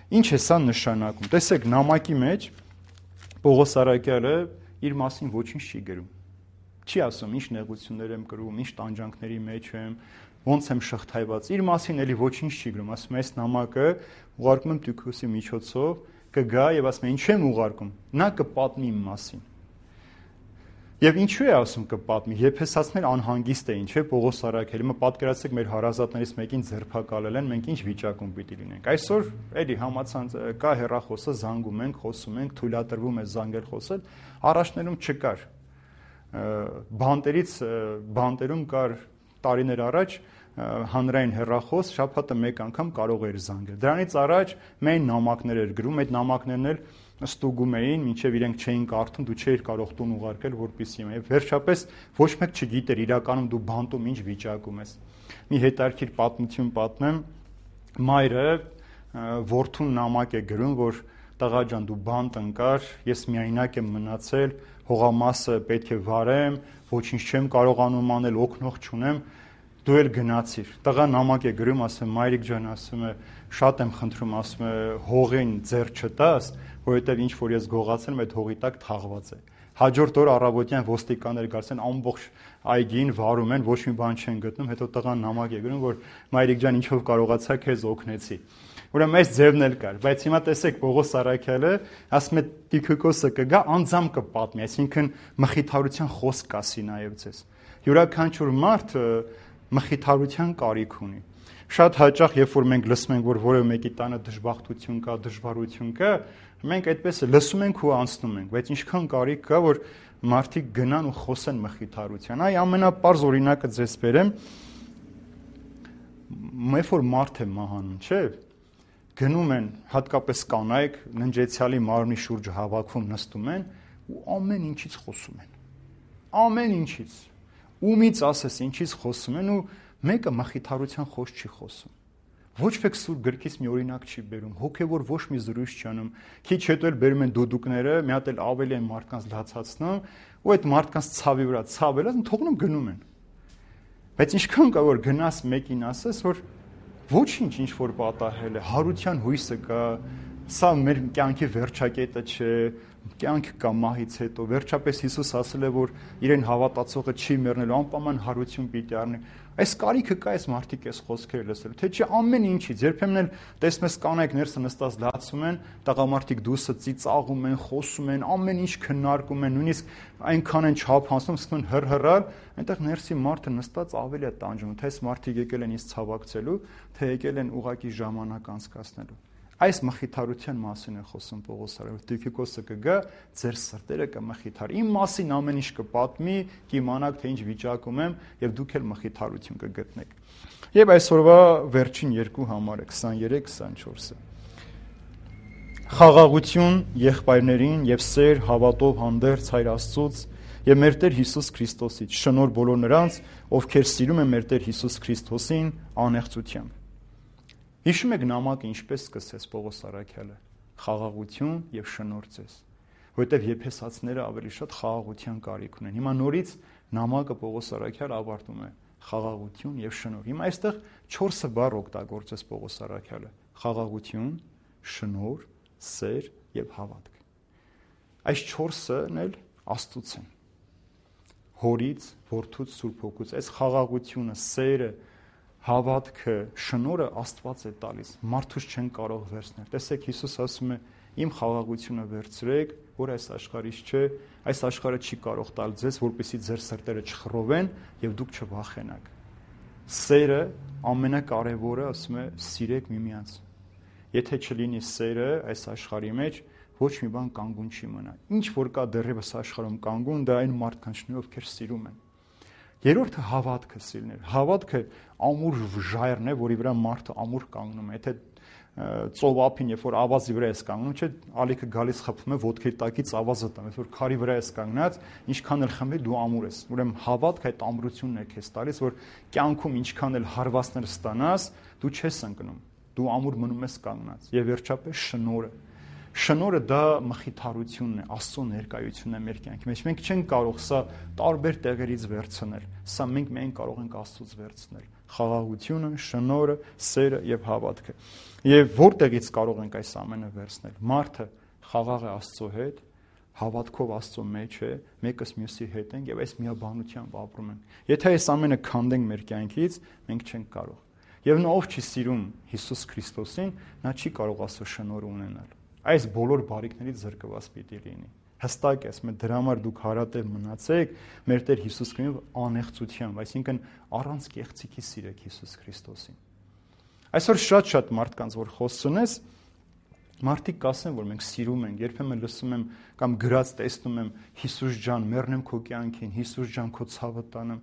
Ինչ է սա նշանակում։ Տեսեք, նամակի մեջ Պողոս առաքյալը իր մասին ոչինչ չի գրում։ Չի ասում ինչ նեղություններ եմ կրում, ինչ տանջանքների մեջ եմ, ոնց եմ շղթայված։ Իր մասին էլի ոչինչ չի գրում, ասում է այս նամակը ուղարկում եմ Տյուկիկոսի միջոցով, կգա եւ ասում է ինչ եմ ուղարկում։ Նա կպատնի իմ մասին։ Եվ ինչու է ասում կպատմի։ Եփեսացիներ անհանգիստ էին, չէ՞, Պողոս առաքյալը։ Հիմա պատկերացրեք մեր հարազատներից մեկին ձերբակալել են, մենք ինչ վիճակում պիտի լինենք։ Այսօր էլի համացանց կա հեռախոսը, զանգում ենք, խոսում ենք, թույլատրվում է զանգել խոսել, առաջներում չկար։ Բանտերից բանտերում կար տարիներ առաջ հանրային հեռախոս, շաբաթը մեկ անգամ կարող էր զանգել։ Դրանից առաջ մենք նամակներ էր գրում, այդ նամակներն էլ ստուգում էին, մինչև իրենք չէին կարդում, դու չէիր կարող տուն ուղարկել, որպեսզի եւ վերջապես ոչ մեկ չգիտեր իրականում դու բանտում ինչ վիճակում ես։ Մի հետարքիր պատմություն պատմեմ, մայրը որդուն նամակ է գրում, որ տղա ջան, դու բանտ ընկար, ես միայնակ եմ մնացել, հողամասը պետք է վարեմ, ոչինչ չեմ կարողանում անել, օգնող չունեմ, դու էլ գնացիր։ Տղա նամակ է գրում, ասում մայրիկ ջան, ասում է, շատ եմ խնդրում, ասում է, հողին ձեռ չտաս, որովհետև ինչ որ ես գողացել եմ, այդ հողի տակ թաղված է։ Հաջորդ օր առավոտյան ոստիկանները գալիս են, ամբողջ այգին վարում են, ոչ մի բան չեն գտնում, հետո տղան նամակ է գրում, որ մայրիկ ջան, ինչով կարողացա, քեզ օգնեցի։ Ուրեմն այս ձևն էլ կար, բայց հիմա տեսեք Պողոս Առաքյալը ասում է Տիքիկոսը կգա, անձամ կպատմի, այսինքն մխիթարության խոսք կասի նաև ձեզ։ Յուրաքանչյուր մարդ մխիթարության կարիք ունի։ Շատ հաճախ, երբ որ մենք լսում ենք, որ որևէ մեկի տանը դժբախտություն կա, դժվարություն կա, մենք այդպես լսում ենք ու անցնում ենք, բայց ինչքան կարիք կա, որ մարդիկ գնան ու խոսեն մխիթարության։ Այ ամենապարզ օրինակը ձեզ բերեմ, երբ որ մարդ է մահանում, չէ՞, գնում են հատկապես կանայք, ննջեցյալի մարմնի շուրջը հավաքվում նստում են ու ամեն ինչից խոսում են։ Ամեն ինչից։ Ումից ասես ինչից խոսում են ու մեկը մխիթարության խոսք չի խոսում։ Ոչ մեկ սուրբ գրքից մի օրինակ չի բերում, հոգևոր ոչ մի զրույց չի անում։ Քիչ հետո էլ բերում են դոդուկները, մի հատ էլ ավելի են մարդկանց լացացնում ու այդ մարդկանց ցավի վրա ցավելը թողնում գնում են։ Բայց ինչքան կա որ գնաս մեկին ասես, որ ոչինչ ինչ որ պատահել է, հարության հույսը կա, սա մեր կյանքի վերջակետը չէ, կյանք կա մահից հետո, վերջապես Հիսուս ասել է, որ իրեն հավատացողը չի մեռնելու, անպայման հարություն պիտի առնի։ Այս կարիքը կա այս մարդիկ այս խոսքերը լսել, թե չէ ամեն ինչից, երբեմն էլ տեսնես կանայք ներսը նստած լացում են, տղամարդիկ դուսը ծիծաղում են, խոսում են, ամեն ինչ քննարկում են, նույնիսկ այնքան են չափանցնում, սկսում են հռհռալ, այնտեղ ներսի մարդը նստած ավելի է տանջում, թե այս մարդիկ եկել են ինձ ցավակցելու, թե եկել են ուղակի ժամանակ անցկացնելու։ Այս մխիթարության մասին է խոսում Պողոս Առաքյալը։ Տիքիկոսը կգա, ձեր սրտերը կմխիթարի։ Իմ մասին ամեն ինչ կպատմի, կիմանաք թե ինչ վիճակում եմ, եւ դուք էլ մխիթարություն կգտնեք։ Եվ այսօրվա վերջին երկու համարը քսաներեք քսանչորսը։ Խաղաղություն եղբայրներին եւ սեր հավատով հանդերձ Հայր Աստծուց եւ մեր Տեր Հիսուս Քրիստոսից, շնորհ բոլոր նրանց, ովքեր սիրում են մեր Տեր Հիսուս Քրիստոսին անեղծությամբ։ Հիշում եք նամակը ինչպես սկսեց Պողոս Առաքյալը, խաղաղություն եւ շնորհ ձեզ, որովհետեւ եփեսացիները ավելի շատ խաղաղության կարիք ունեն։ Հիմա նորից նամակը Պողոս Առաքյալը ավարտում է խաղաղություն եւ շնորհ։ Հիմա այստեղ չորսը բառ օգտագործեց Պողոս Առաքյալը՝ խաղաղություն, շնորհ, սեր եւ հավատք։ Այս չորսն էլ Աստծուց են։ Հորից, Որդուց, Սուրբ Հոգուց։ Այս խաղաղությունը, սերը, հավատքը, շնորհը Աստված է տալիս, մարդուց չեն կարող վերցնել։ Տեսեք, Հիսուս ասում է. «Իմ խաղաղությունը վերցրեք, որ այս աշխարհից չէ, այս աշխարհը չի կարող տալ ձեզ, որպեսզի ձեր սրտերը չխռովեն եւ դուք չվախենաք»։ Սերը ամենակարևորը, ասում է, սիրեք միմյանց։ Եթե չլինի սերը այս աշխարհի մեջ, ոչ մի բան կանգուն չի մնա։ Ինչ որ կա դեռևս աշխարհում կանգուն, դա այն մարդկանցն են, ովքեր սիրում են։ Երրորդը հավատքը սիրներ։ Հավատքը ամուր ժայռն է, որի վրա մարդը ամուր կանգնում է։ Եթե ծովափին, երբ որ ավազի վրա ես կանգնում, չէ, ալիքը գալիս խփում է ոտքի տակից ավազը տամ, երբ որ քարի վրա ես կանգնած, ինչքան էլ խմի դու ամուր ես։ Ուրեմն հավատքը այդ ամրությունն է քեզ տալիս, որ կյանքում ինչքան էլ հարվածներ ստանաս, դու չես ընկնում։ Դու ամուր մնում ես կանգնած։ Եվ վերջապես շնորհը։ Շնորհը դա մխիթարությունն է, Աստծո ներկայությունն է մեր կյանքի մեջ։ Մենք չենք կարող սա տարբեր տեղերից վերցնել։ Սա մենք միայն կարող ենք Աստծուց վերցնել։ Խաղաղությունը, շնորհը, սերը եւ հավատքը։ Եվ որտեղից կարող ենք այս ամենը վերցնել։ Մարդը խաղաղ է Աստծո հետ, հավատքով Աստծո մեջ է, մեկս մյուսի հետ ենք եւ այս միաբանությամբ ապրում ենք։ Եթե այս ամենը քանդենք մեր կյանքից, մենք չենք կարող։ Եվ նա ով չի սիրում Հիսուս Քրիստոսին, նա չի կարող Աստծո շնորհը ունենալ։ Այս բոլոր բարիքներից զրկված պիտի լինի։ Հստակ է, ասում է, դրա համար դուք հարատև մնացեք մեր Տեր Հիսուս Քրիստոսով անեղծությամբ, այսինքն առանց կեղծիքի սիրեք Հիսուս Քրիստոսին։ Այսօր շատ-շատ մարդկանց որ խոսությունես, մարդիկ կասեն, որ մենք սիրում ենք, երբեմն լսում եմ կամ գրած տեսնում եմ Հիսուս ջան, մեռնեմ քո կյանքին, Հիսուս ջան, քո ցավը տանեմ։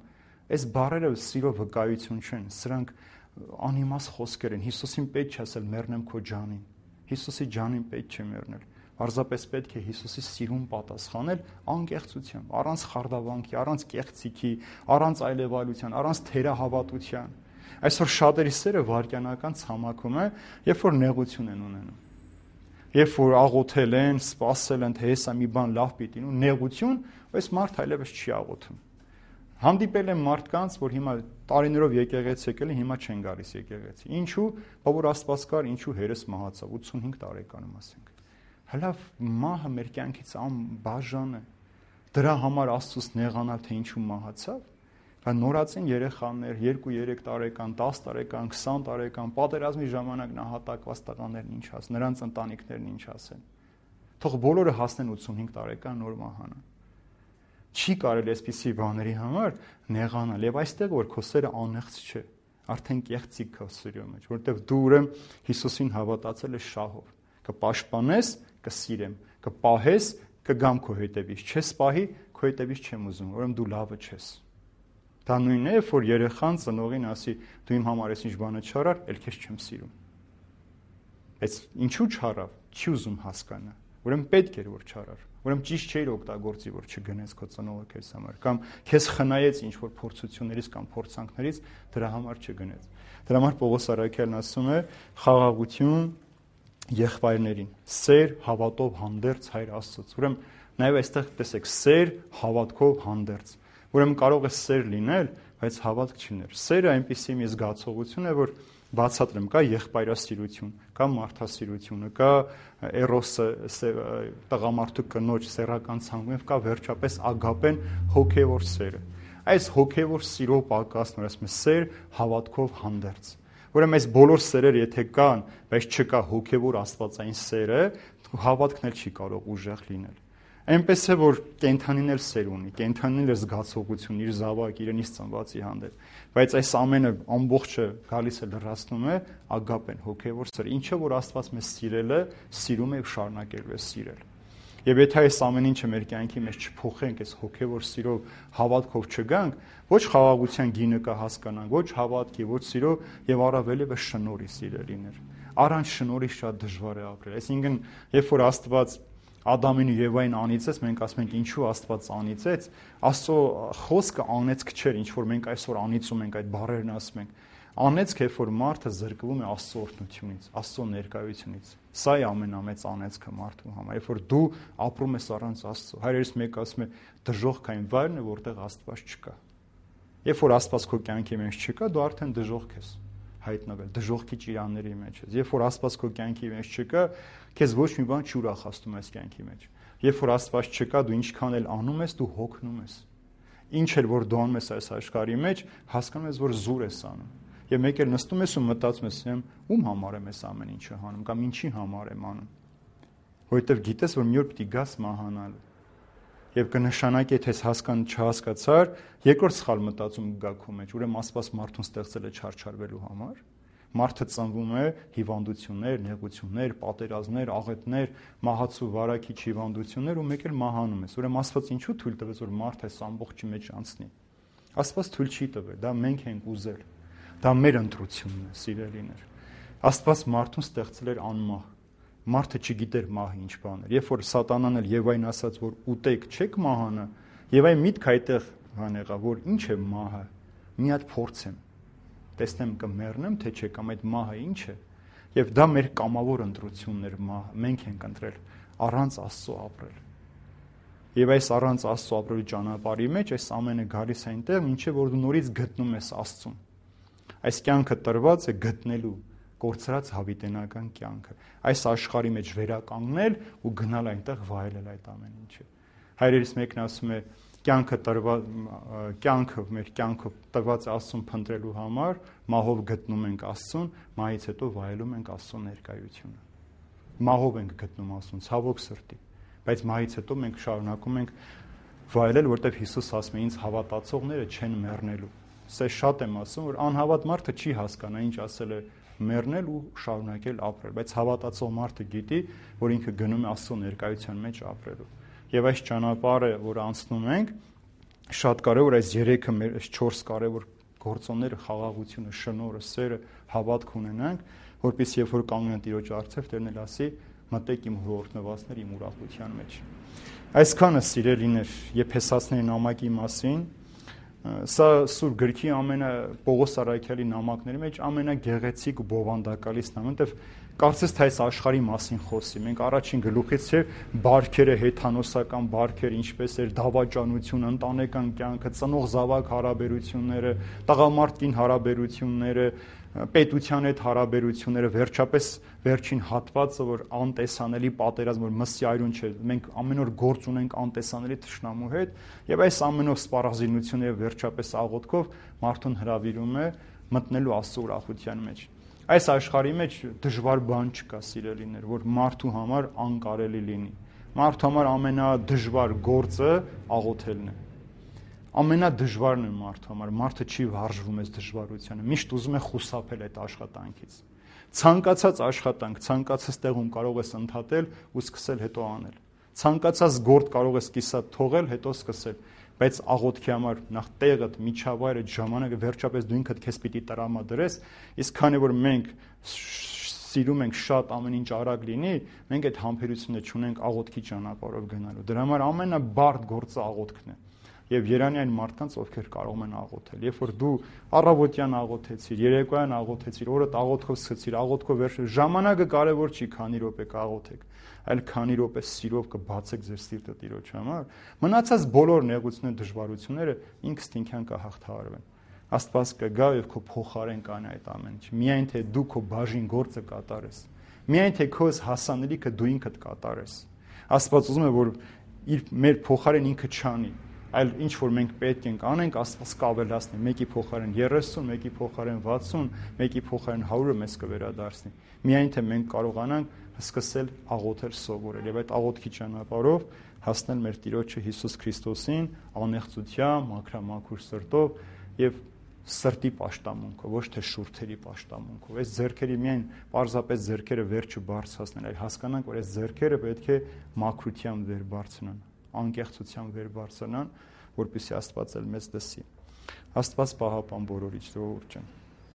Այս բառերը սիրո վկայություն չեն, սրանք անիմաստ խոսքեր են։ Հիսուսին պետք չէ ասել մեռնեմ քո ջանին։ Հիսուսի ջանին պետք չէ մեռնել։ Պարզապես պետք է Հիսուսի սիրուն պատասխանել անկեղծությամբ, առանց խարդավանքի, առանց կեղծիքի, առանց այլևայլության, առանց թերահավատության։ Այսօր շատերի սերը վայրկյանական ցամաքում է, երբ որ նեղություն են ունենում։ Երբ որ աղոթել են, սպասել են, թե հեսա մի բան լավ պիտի լինի, նեղություն, այս մարդ այլևս չի աղոթում։ Հանդիպել եմ մարդկանց, որ հիմա տարիներով եկեղեցի եկել են, հիմա չեն գալիս եկեղեցի։ Ինչու՞, որ Աստված կար, ինչու հերս մահացավ ութսունհինգ տարեկանում ասենք։ Հəլավ մահը մեր կյանքից անբաժան է։ Դրա համար Աստծուց նեղանալ, թե ինչու մահացավ։ Բա նորածին երեխաներ, երկու երեք տարեկան, դաս տարեկան, քսան տարեկան, պատերազմի ժամանակ նահատակված տղաներն ինչ ասեն, նրանց ընտանիքներն ինչ ասեն։ Թող բոլորը հասնեն ութսունհինգ տարեկան նոր մահանան։ Չի կարելի այսպիսի բաների համար նեղանալ, եւ այստեղ որ քո սերը անեղծ չէ, արդեն կեղծիք քո սիրո մեջ, որովհետեւ դու ուրեմն Հիսուսին հավատացել ես շահով, կպաշտպանես, կսիրեմ, կպահես, կգամ քո հետևից, չես պահի, քո հետևից չեմ ուզում, ուրեմն դու լավը չես։ Դա նույնն է, որ երեխան ծնողին ասի, դու իմ համար ես ինչ բանը չարար, ել քեզ չեմ սիրում։ Բայց ինչու չարավ, չի ուզում հասկանա։ Ուրեմն պետք էր որ չարար։ Ուրեմն ճիշտ չէր օգտագործի, որ չգնես քո ծնողը քեզ համար, կամ քեզ խնայեց ինչ որ փորձություններից կամ փորձանքներից, դրա համար չգնես։ Դրա համար Պողոս առաքյալն ասում է խաղաղություն եղբայրներին, սեր հավատով հանդերձ հայր Աստծոց։ Ուրեմն նաև այստեղ տեսեք սեր հավատքով հանդերձ։ Ուրեմն կարող է սեր լինել, բայց հավատք չլիներ։ Սերը այնպիսի մի զգացողություն է, որ բացատրեմ, կա եղբայրասիրություն, կա մարդասիրությունը, կա էրոսը, տղամարդու կնոջ սեռական ցանկում, կա վերջապես ագապեն, հոգևոր սերը։ Այս հոգևոր սիրո պակասն, որ ասում է սեր հավատքով հանդերձ։ Ուրեմն այս բոլոր սերերը եթե կան, բայց չկա հոգևոր աստվածային սերը, հավատքն էլ չի կարող ուժեղ լինել։ Այնպես է որ կենթանին էլ սեր ունի, կենթանին էլ զգացողություն իր զավակ իրենից ծնվածի հանդեպ, բայց այս ամենը ամբողջը գալիս է լրացնում է ագապեն, հոգևոր սեր, ինչը որ Աստված մեզ սիրել է, սիրում է եւ շարունակելու է սիրել։ Եվ եթե այս ամեն ինչը մեր կյանքի մեջ չփոխենք, այս հոգևոր սիրով, հավատքով չգանք, ոչ խաղաղության գինը կա հասկանանք, ոչ հավատքի, ոչ սիրո եւ առավելևս շնորհի սիրելիներ։ Առանց շնորհի շատ դժվար է ապրել։ Այսինքն, երբ որ Աստված Ադամին ու Եվային անիծեց, մենք ասում ենք ինչու Աստված անիծեց, Աստծո խոսքը անեծք չէր, ինչ որ մենք այսօր անիծում ենք, այդ բառերն ասում ենք։ Անեծք է, որ մարդը զրկվում է Աստծո օրհնությունից, Աստծո ներկայությունից։ Սա է ամենամեծ անեծքը մարդու համար, երբ որ դու ապրում ես առանց Աստծո։ Հայրերից մեկը ասում է դժոխքային վայրն է, որտեղ Աստված չկա։ Երբ որ Աստված քո կյանքի մեջ չկա, դու արդեն դժոխք ես հայտնվել, դժոխքի ճիրանների մեջ ես։ Երբ որ Աստված քո կյանքի մեջ չկա, քեզ ոչ մի բան չուրախացնում ես կյանքի մեջ։ Երբ որ Աստված չկա, դու ինչքան էլ անում ես, դու հոգնում ես։ Ինչ էլ որ դու անում ես այս աշխարհի մեջ, հասկանում ես, որ զուր ես անում։ Եվ մեկ էլ նստում ես ու մտածում ես, ում համար եմ այս ամեն ինչը անում, կամ ինչի համար եմ անում։ Որովհետև գիտես, որ մի օր պիտի գաս մահանալու։ Եվ կնշանակի, թե հասկան չհասկացար, երկրորդ սխալ մտածում գա քո մեջ, ուրեմն Աստված մարդուն ստեղծել է չարչարվելու համար։ Մարդը ծնվում է հիվանդություններ, նեղություններ, պատերազմներ, աղետներ, մահացու վարակիչ հիվանդություններ ու մեկ էլ մահանում ես։ Ուրեմն Աստված ինչու թույլ տվեց, որ մարդը այս ամբողջի մեջ անցնի։ Աստված թույլ չի տվել, դա մենք ենք ուզել։ Դա մեր ընտրությունն է, սիրելիներ։ Աստված մարդուն ստեղծել էր անմահ։ Մարդը չգիտեր մահը ինչ բան է։ Երբ որ Սատանան էլ Եվային ասաց, որ ուտեք, չեք մահանա, Եվայի միտքը այդտեղ բան եղավ, որ ինչ է մահը։ Մի հատ փորձեմ, տեսնեմ կմեռնեմ, թե չէ, կամ այդ մահը ինչ է։ Եվ դա մեր կամավոր ընտրությունն էր մահը։ Մենք ենք ընտրել առանց Աստծո ապրել։ Եվ այս առանց Աստծո ապրելու ճանապարհի մեջ այս ամենը գալիս է այնտեղ, մինչև որ դու նորից գտնում ես Աստծուն։ Այս կյանքը տրված է գտնելու կորցրած հավիտենական կյանքը, այս աշխարհի մեջ վերականգնել ու գնալ այնտեղ վայելել այդ ամեն ինչը։ Հայրերից մեկն ասում է, կյանքը տրված կյանքը մեր կյանքը տրված Աստծուն փնտրելու համար մահով գտնում ենք Աստծուն, մահից հետո վայելում ենք Աստծո ներկայությունը։ Մահով ենք գտնում Աստծուն, ցավոք սրտի, բայց մահից հետո մենք շարունակում ենք վայելել, որտեղ Հիսուս ասում է, ինձ հավատացողները չեն մեռնելու։ Սա շատ եմ ասում, որ անհավատ մարդը չի հասկանա ինչ ասել է մեռնել ու շարունակել ապրել, բայց հավատացող մարդը գիտի, որ ինքը գնում է Աստծո ներկայության մեջ ապրելու։ Եվ այս ճանապարհը, որ անցնում ենք, շատ կարևոր այս երեքը մեր այս չորս կարևոր գործոնները, խաղաղությունը, շնորհը, սերը, հավատք ունենանք, որպես երբ որ կանգնեն Տիրոջ առջև, Տերն էլ ասի, մտեք իմ հորտնվածներ իմ ուրախության մեջ։ Այսքանը սիրելիներ, Եփեսացիների նամակի մասին, Սա Սուրբ գրքի ամենա Պողոս Արաքյալի նամակների մեջ ամենագեղեցիկ ու բովանդակալիցն է, որտեվ կարծես թե այս աշխարհի մասին խոսի։ Մենք առաջին գլուխից չէ բարքերը, հեթանոսական բարքեր, ինչպես էր դավաճանություն, ընտանեկան կյանքը, ծնող զավակ հարաբերությունները, տղամարդ-կին հարաբերությունները, պետության հետ հարաբերությունները, վերջապես վերջին հատվածը, որ անտեսանելի պատերազմ, որ մսի այրուն չէ, մենք ամեն օր գործ ունենք անտեսանելի թշնամու հետ, եւ այս ամենով սպառազինությունները վերջապես աղոթքով մարդուն հրավիրում է մտնելու Աստծո ուրախության մեջ։ Այս աշխարհի մեջ դժվար բան չկա, սիրելիներ, որ մարդու համար անկարելի լինի։ Մարդու համար ամենադժվար գործը աղոթելն է։ Ամենադժվարն է մարդու համար, մարդը չի վարժվում այս դժվարությանը, միշտ ուզում է խուսափել այդ աշխատանքից։ Ցանկացած աշխատանք, ցանկացած տեղում կարող ես ընդհատել ու սկսել հետո անել։ Ցանկացած գործ կարող ես կիսատ թողել, հետո սկսել, բայց աղոթքի համար նախ տեղդ, միջավայրը, ժամանակը, վերջապես դու ինքդ քեզ պիտի տրամադրես, իսկ քանի որ մենք սիրում ենք շատ ամեն ինչ արագ լինի, մենք այդ համբերությունը չունենք աղոթքի ճանապարհով գնալու։ Դրա համար ամենաբարդ գործը աղոթքն է։ Եվ երանի այն մարդկանց, ովքեր կարող են աղոթել։ Երբ որ դու առավոտյան աղոթեցիր, երեկոյան աղոթեցիր, օրդ աղոթքով սկսեցիր, աղոթքով վերջը, ժամանակը կարևոր չի, քանի րոպե կաղոթեք, այլ քանի րոպե սիրով կբացեք ձեր սիրտը Տիրոջ համար, մնացած բոլոր նեղությունները, դժվարությունները ինքստինքյան կհաղթահարվեն։ Աստված կգա եւ քո փոխարեն կանի այդ ամեն ինչ։ Միայն թե դու քո բաժին գործը կատարես։ Միայն թե քո հասանելիքը դու ինքդ կատարես։ Աստված ուզում է, որ իր մեր փոխարեն ինքը չանի, այլ ինչ որ մենք պետք ենք անենք, Աստված կավելացնի, մեկի փոխարեն երեսուն, մեկի փոխարեն վաթսուն, մեկի փոխարեն հարյուրը մեզ կվերադարձնի։ Միայն թե մենք կարողանանք սկսել աղոթել սովորել եւ այդ աղոթքի ճանապարհով հասնել մեր Տիրոջը Հիսուս Քրիստոսին անեղծությամբ, մաքրամաքուր սրտով եւ սրտի պաշտամունքով, ոչ թե շուրթերի պաշտամունքով։ Այս ձեռքերի միայն պարզապես ձեռքերը վեր չբարձրացնել, այլ հասկանանք, որ այս ձեռքերը պետք է մաքրությամբ վեր բարձրանան, անկեղծությամբ վեր բարձրանան, որպեսզի Աստված էլ մեզ լսի։ Աստված պահապան բոլորիդ ժողովուրդ ջան։